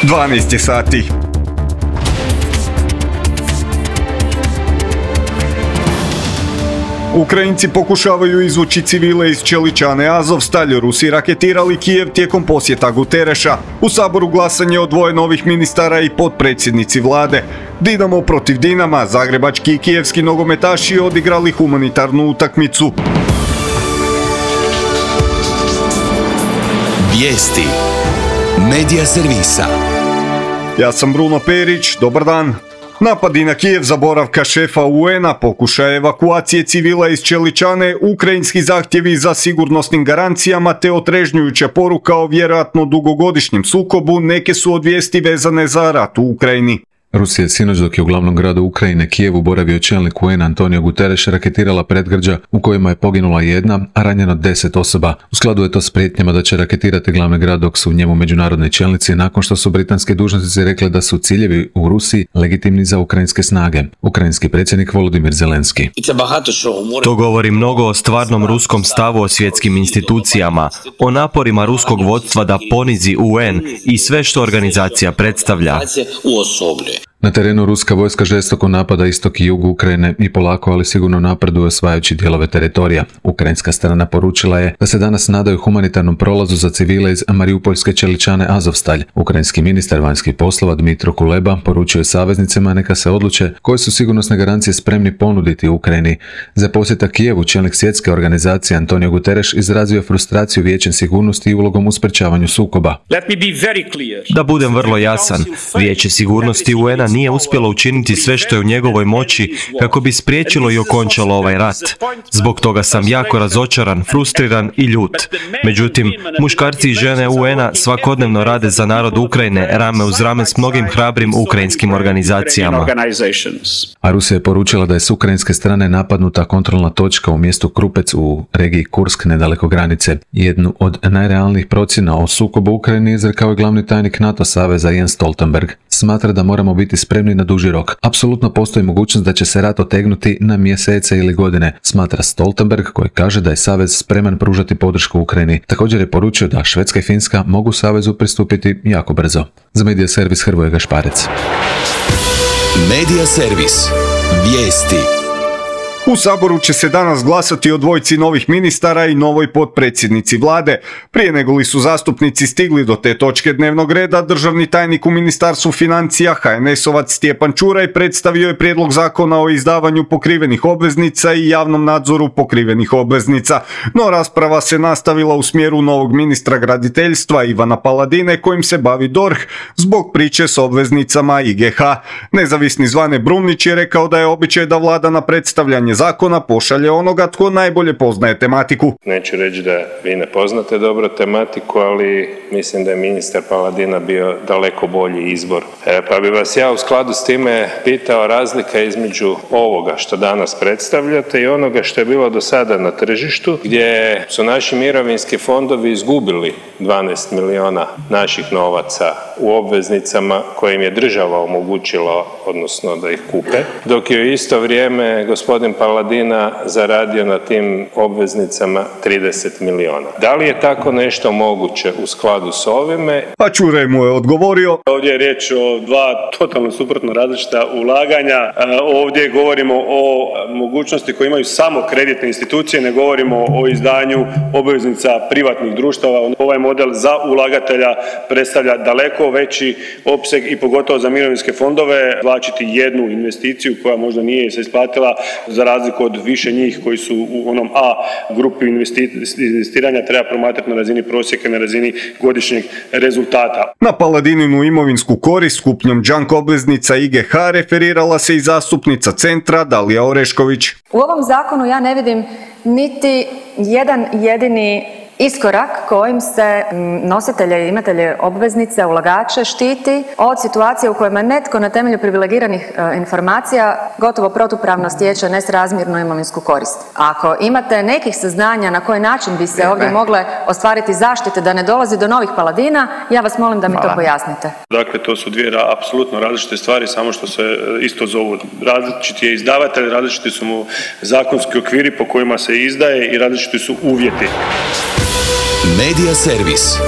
12 sati. Ukrajinci pokušavaju izvući civile iz Čeličane Azovstalj. Rusi raketirali Kijev tijekom posjeta Gutereša. U Saboru glasanje o dvoje novih ministara i potpredsjednici vlade. Dinamo protiv Dinama. Zagrebački i kijevski nogometaši odigrali humanitarnu utakmicu. Vijesti Medija servisa. Ja sam Bruno Perić, dobar dan. Napadi na Kijev za boravka šefa UN-a, pokušaj evakuacije civila iz Čeličane, ukrajinski zahtjevi za sigurnosnim garancijama te otrežnjujuća poruka o vjerojatno dugogodišnjem sukobu neke su od vijesti vezane za rat u Ukrajini. Rusija je sinoć dok je u glavnom gradu Ukrajine Kijevu boravio čelnik UN Antonio Guterres raketirala predgrađa u kojima je poginula jedna, a ranjeno 10 osoba. U skladu je to s prijetnjama da će raketirati glavni grad dok su u njemu međunarodni čelnici nakon što su britanski dužnosnici rekli da su ciljevi u Rusiji legitimni za ukrajinske snage. Ukrajinski predsjednik Volodymyr Zelenski. To govori mnogo o stvarnom ruskom stavu o svjetskim institucijama, o naporima ruskog vodstva da ponizi UN i sve što organizacija predstavlja. Na terenu ruska vojska žestoko napada istok i jug Ukrajine i polako, ali sigurno napreduje osvajajući dijelove teritorija. Ukrajinska strana poručila je da se danas nadaju humanitarnom prolazu za civile iz Mariupoljske Čeličane Azovstalj. Ukrajinski ministar vanjskih poslova Dmitro Kuleba poručio je saveznicima neka se odluče koje su sigurnosne garancije spremni ponuditi Ukrajini. Za posjeta Kijevu čelnik svjetske organizacije Antonio Guterres izrazio frustraciju Vijećem sigurnosti i ulogom u sprečavanju sukoba. Da budem vrlo jasan, Vijeće sigurnosti UN-a nije uspjelo učiniti sve što je u njegovoj moći kako bi spriječilo i okončalo ovaj rat. Zbog toga sam jako razočaran, frustriran i ljut. Međutim, muškarci i žene UN-a svakodnevno rade za narod Ukrajine rame uz rame s mnogim hrabrim ukrajinskim organizacijama. A Rusija je poručila da je s ukrajinske strane napadnuta kontrolna točka u mjestu Krupec u regiji Kursk nedaleko granice. Jednu od najrealnijih procjena o sukobu u Ukrajini izrekao je glavni tajnik NATO saveza Jens Stoltenberg. Smatra da moramo biti spremni na duži rok. Apsolutno postoji mogućnost da će se rat otegnuti na mjesece ili godine, smatra Stoltenberg, koji kaže da je savez spreman pružati podršku Ukrajini. Također je poručio da Švedska i Finska mogu savezu pristupiti jako brzo. Za Medija servis Hrvoje Gašparec. Medija servis. Vijesti. U Saboru će se danas glasati o dvojci novih ministara i novoj potpredsjednici vlade. Prije nego li su zastupnici stigli do te točke dnevnog reda, državni tajnik u Ministarstvu financija HNS-ovac Stjepan Čuraj predstavio je prijedlog zakona o izdavanju pokrivenih obveznica i javnom nadzoru pokrivenih obveznica. No rasprava se nastavila u smjeru novog ministra graditeljstva Ivana Paladine kojim se bavi DORH zbog priče s obveznicama IGH. Nezavisni Zvane Brumnić je rekao da je običaj da vlada na predstavljanje zakona pošalje onoga tko najbolje poznaje tematiku. Neću reći da vi ne poznate dobro tematiku, ali mislim da je ministar Paladina bio daleko bolji izbor. Pa bi vas ja u skladu s time pitao razlika između ovoga što danas predstavljate i onoga što je bilo do sada na tržištu, gdje su naši mirovinski fondovi izgubili 12 milijuna naših novaca u obveznicama koje im je država omogućila, odnosno da ih kupe, dok je u isto vrijeme gospodin Paladina zaradio na tim obveznicama 30 milijuna. Da li je tako nešto moguće u skladu s ovime? A Čuraj mu je odgovorio. Ovdje je riječ o dva totalno suprotno različita ulaganja. Ovdje govorimo o mogućnosti koje imaju samo kreditne institucije, ne govorimo o izdanju obveznica privatnih društava. Ovaj model za ulagatelja predstavlja daleko veći opseg i pogotovo za mirovinske fondove vlačiti jednu investiciju koja možda nije se isplatila za razliku od više njih koji su u onom A grupi investiranja treba promatrati na razini prosjeka, na razini godišnjeg rezultata. Na Paladininu imovinsku korist kupnjom junk obveznica IGH referirala se i zastupnica Centra Dalija Orešković. U ovom zakonu ja ne vidim niti jedan jedini iskorak kojim se nositelje i imatelje obveznice, ulagače štiti od situacije u kojima netko na temelju privilegiranih informacija gotovo protupravno stječe nesrazmjernu imovinsku korist. Ako imate nekih saznanja na koji način bi se ovdje mogle ostvariti zaštite da ne dolazi do novih Paladina, ja vas molim da mi to pojasnite. Dakle, to su dvije apsolutno različite stvari, samo što se isto zovu. Različiti je izdavatelj, različiti su mu zakonski okviri po kojima se izdaje i različiti su uvjeti. Medija servis.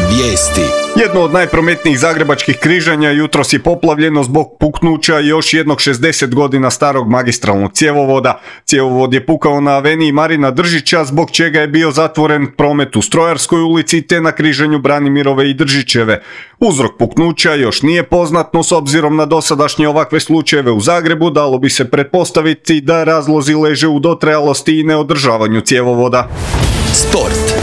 Vijesti. Jedno od najprometnijih zagrebačkih križanja jutros je poplavljeno zbog puknuća još jednog 60 godina starog magistralnog cjevovoda. Cjevovod je pukao na aveniji Marina Držića, zbog čega je bio zatvoren promet u Strojarskoj ulici te na križanju Branimirove i Držićeve. Uzrok puknuća još nije poznat, no s obzirom na dosadašnje ovakve slučajeve u Zagrebu dalo bi se pretpostaviti da razlozi leže u dotrajalosti i neodržavanju cjevovoda. Sport.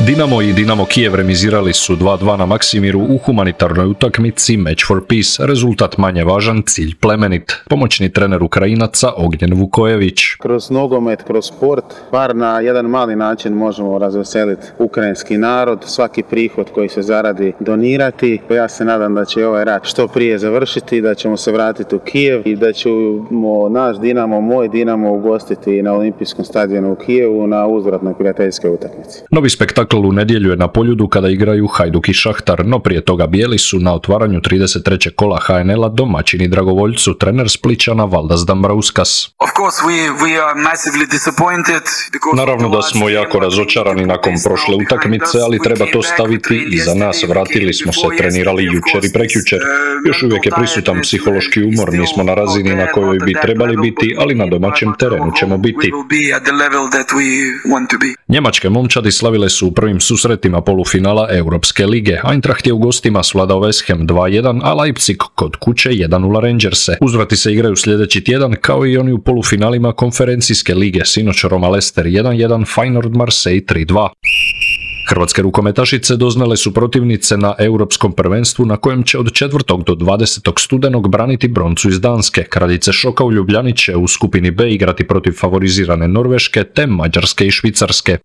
Dinamo i Dinamo Kijev remizirali su 2:2 na Maksimiru u humanitarnoj utakmici Match for Peace. Rezultat manje važan, cilj plemenit. Pomoćni trener Ukrajinaca Ognjen Vukojević. Kroz nogomet, kroz sport, bar na jedan mali način možemo razveseliti ukrajinski narod, svaki prihod koji se zaradi donirati. Ja se nadam da će ovaj rat što prije završiti, da ćemo se vratiti u Kijev i da ćemo naš Dinamo, moj Dinamo ugostiti na Olimpijskom stadionu u Kijevu na uzvratnoj prijateljskoj utakmici. Novi spektakl u nedjelju je na Poljudu kada igraju Hajduk i Šahtar, no prije toga bijeli su na otvaranju 33. kola HNL-a domaćini Dragovoljcu, trener Splićana Valdas Dambrauskas. Naravno da smo jako razočarani nakon prošle utakmice, ali treba to staviti iza nas. Vratili smo se, trenirali jučer i prekjučer. Još uvijek je prisutan psihološki umor, nismo na razini na kojoj bi trebali biti, ali na domaćem terenu ćemo biti. Njemačke momčadi slavile su u prvim susretima polufinala Europske lige. Eintracht je u gostima svladao West Ham 2:1, a Leipzig kod kuće 1:0 Rangerse. Uzvrati se igraju sljedeći tjedan, kao i oni u polufinalima konferencijske lige. Sinoć Roma Leicester 1:1, Feyenoord Marseille 3:2. Hrvatske rukometašice doznale su protivnice na Europskom prvenstvu na kojem će od 4. do 20. studenog braniti broncu iz Danske. Kraljice šoka u Ljubljani će u skupini B igrati protiv favorizirane Norveške te Mađarske i Švicarske.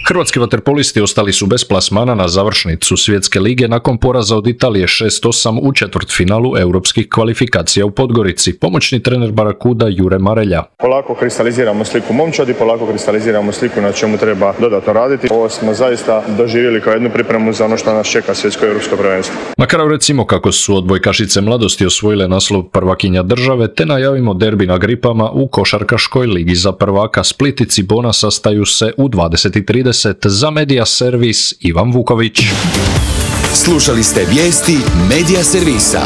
Hrvatski vaterpolisti ostali su bez plasmana na završnicu Svjetske lige nakon poraza od Italije 6:8 u četvrtfinalu europskih kvalifikacija u Podgorici. Pomoćni trener Barakuda Jure Marelja. Polako kristaliziramo sliku momčadi, polako kristaliziramo sliku na čemu treba dodatno raditi. Ovo smo zaista doživjeli kao jednu pripremu za ono što nas čeka svjetsko europsko prvenstvo. Na kraju recimo kako su odbojkašice mladosti osvojile naslov prvakinja države, te najavimo derbi na Gripama u košarkaškoj ligi za prvaka. Split i Cibona sastaju se u 20:30. Za Media Servis Ivan Vuković. Slušali ste vijesti Media Servisa.